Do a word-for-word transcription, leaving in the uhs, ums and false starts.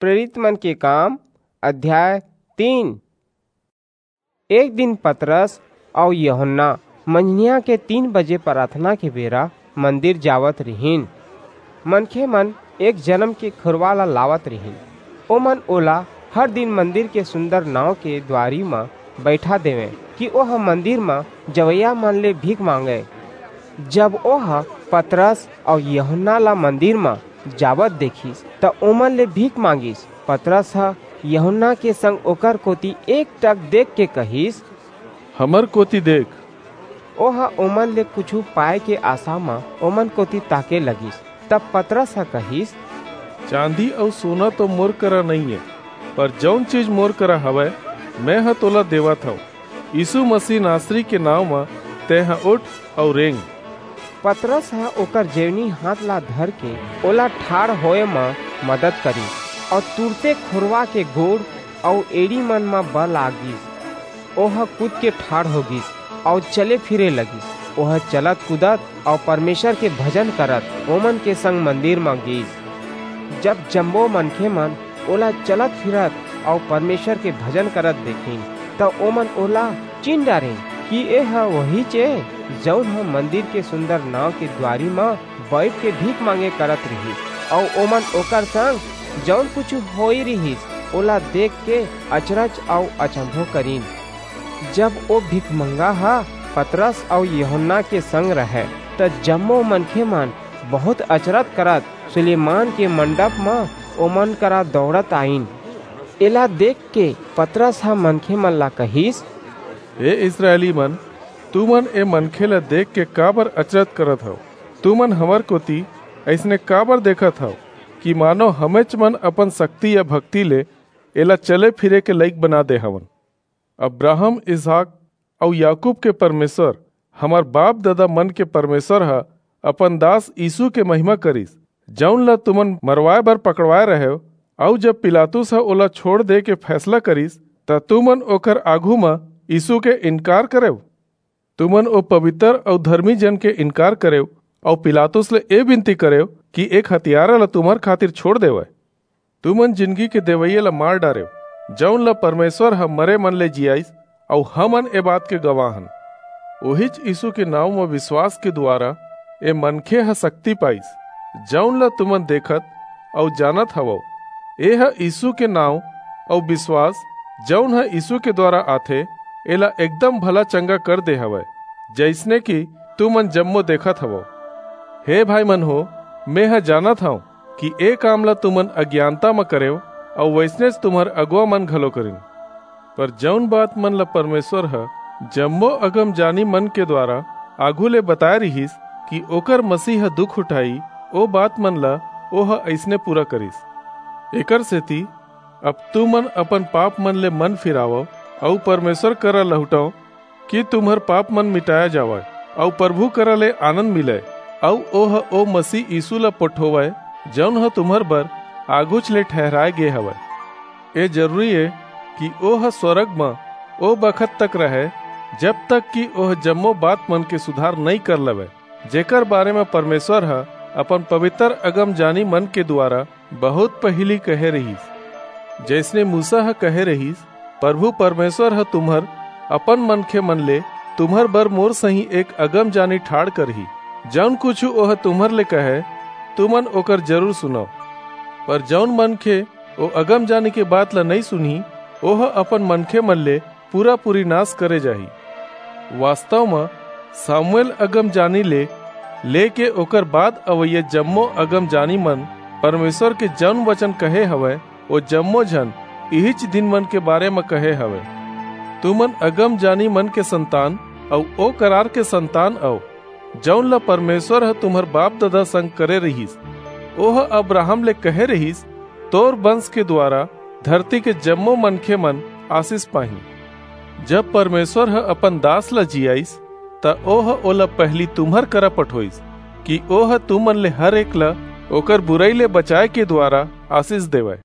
प्रेरित मन के काम, अध्याय तीन। एक दिन पतरस अउ यूहन्ना मंझनिया के तीन बजे प्रार्थना के बेरा मंदिर जावत रिहिन। मनखे मन एक जनम के खुरवा ला लावत रिहिन। ओमन ओला हर दिन मंदिर के सुंदर नाव के द्वारी म बइठा देवें कि ओह मंदिर म जवइया मन ले भीख मांगय। जब ओह पतरस अउ यूहन्ना ला मंदिर म जावत देखिस, त ओमन ले भीख मांगिस। पतरस ह यूहन्ना के संग ओकर कोति एकटक देख के कहिस, "हमर कोति देख।" ओह ओमन ले कुछू पाए के आसा म ओमन कोति ताके लगिस। तब पतरस ह कहिस, "चांदी अउ सोना तो मोर करा नइये, पर जऊन चीज मोर करा हवय, मेंह तोला देवत हंव। यीसू मसीह नासरी के नांव म तेंह उठ अउ रेंग।" पतरस ह ओकर जेवनी हांथ ला धरके ओला ठाढ़ होय म मदद करिस, अऊ तुरते खुरवा के गोड़ अऊ एड़ी मन म बल आ गीस। ओह कूद के ठाढ़ हो गीस अऊ चले फिरे लगिस। ओह चलत कूदत अऊ परमेसर के भजन करत ओमन के संग मंदिर म गीस। जब जम्मो मनखे मन ओला चलत फिरत अऊ परमेसर के भजन करत देखिन, त ओमन ओला चीन्ह डारिन कि एह ओहीच ए, जऊन ह मंदिर के सुंदर नांव के दुवारी म बईठ के भीख मांगे करत रिहिस। अऊ ओमन ओकर संग जऊन कुछू होई रिहिस, ओला देख के अचरज अऊ अचंभो करिन। जब ओ भीखमंगा ह पतरस अऊ यूहन्ना के संग रहय, त जम्मो मनखे मन बहुंत अचरज करत सुलेमान के मंडप म ओमन करा दौड़त आईन। एला देख के पतरस ह मनखे मन ला कहिस, "हे इसरायली मन, तुमन ए मनखे ला देख के काबर अचरज करत हव? तुमन हमर कोति अइसने काबर देखत हव कि मानो हमेच मन अपन सक्ति या भक्ति ले एला चले फिरे के लइक बना दे हवन? अब्राहम, इसहाक अऊ याकूब के परमेसर, हमर बाप-ददा मन के परमेसर ह अपन दास यीसू के महिमा करिस, जऊन ला तुमन मरवाय बर पकड़वाय रहेव, अऊ जब पिलातुस ह ओला छोंड़ दे के फैसला करिस, त तुमन ओकर आघू म यीसू के इनकार करेव। तुमन ओ पबितर अऊ धरमी जन के इनकार करेव, अऊ पिलातुस ले ए बिनती करेव कि एक हतियारा ला तुम्हर खातिर छोंड़ देवय। तुमन जिनगी के देवइया ला मार डारेव, जऊन ला परमेसर ह मरे मन ले जियाईस, अऊ हमन ए बात के गवाह हन। ओहीच यीसू के नांव म बिसवास के दुवारा ए मनखे ह सक्ति पाईस, जऊन ला तुमन देखत अऊ जानत हवव। एह यीसू के नांव अऊ बिसवास, जऊन ह यीसू के दुवारा आथे, एला एकदम भला चंगा कर दे हवय, जइसने कि तुमन जम्मो देखत हवव। हे भाई मन हो, मेंह जानत हंव कि ए काम ला तुमन अज्ञानता म करेव, अऊ वइसनेच तुम्हर अगुवा मन घलो करिन। पर जऊन बात मन ला परमेसर ह जम्मो अगमजानी मन के दुवारा आघू ले बताय रिहिस कि ओकर मसीह ह दुख उठाही, ओ बात मन ला ओह अइसने पूरा करिस। एकरसेति अब तुमन अपन पाप मन ले मन फिरावव, अऊ परमेसर करा लहुटव, कि तुम्हर पाप मन मिटाय जावय, अऊ परभू करा ले आनंद मिलय, अऊ ओह ओ मसीह यीसू ला पठोवय, जऊन ह तुम्हर बर आघूच ले ठहिराय गे हवय। ए जरूरी ए कि ओह स्वरग म ओ बखत तक रहय, जब तक कि ओह जम्मो बात मन के सुधार नइं कर लेवय, जेकर बारे म परमेसर ह अपन पबितर अगमजानी मन के दुवारा बहुंत पहिली कहे रिहिस। जइसने मूसा ह कहे रिहिस, "परभू परमेसर ह तुम्हर अपन मनखे मन ले तुम्हर बर मोर सहीं एक अगमजानी ठाढ़ करही, जऊन कुछू ओह तुम्हर ले कहय, तुमन ओकर जरूर सुनव।" पर जऊन मनखे ओ अगमजानी के बात ला नइं सुनही, ओह अपन मनखे मन ले पूरा-पूरी नास करे जाही। वास्तव म, सामुएल अगमजानी ले लेके ओकर बाद अवइया जम्मो अगमजानी मन परमेसर के जऊन बचन कहे हवंय, ओ जम्मो झन इहीच दिन मन के बारे म कहे हवंय। तुमन अगमजानी मन के संतान अऊ ओ करार के संतान अव, जऊन ला परमेसर ह तुम्हर बाप-ददा संग करे रिहिस। ओह अब्राहम ले कहे रिहिस, "तोर बंस के दुवारा धरती के जम्मो मनखे मन आसीस पाहीं।" जब परमेसर ह अपन दास ला जियाईस, त ओह ओला पहिली तुम्हर करा पठोईस, कि ओह तुमन ले हर एक ला ओकर बुरई ले बचाय के दुवारा आसीस देवय।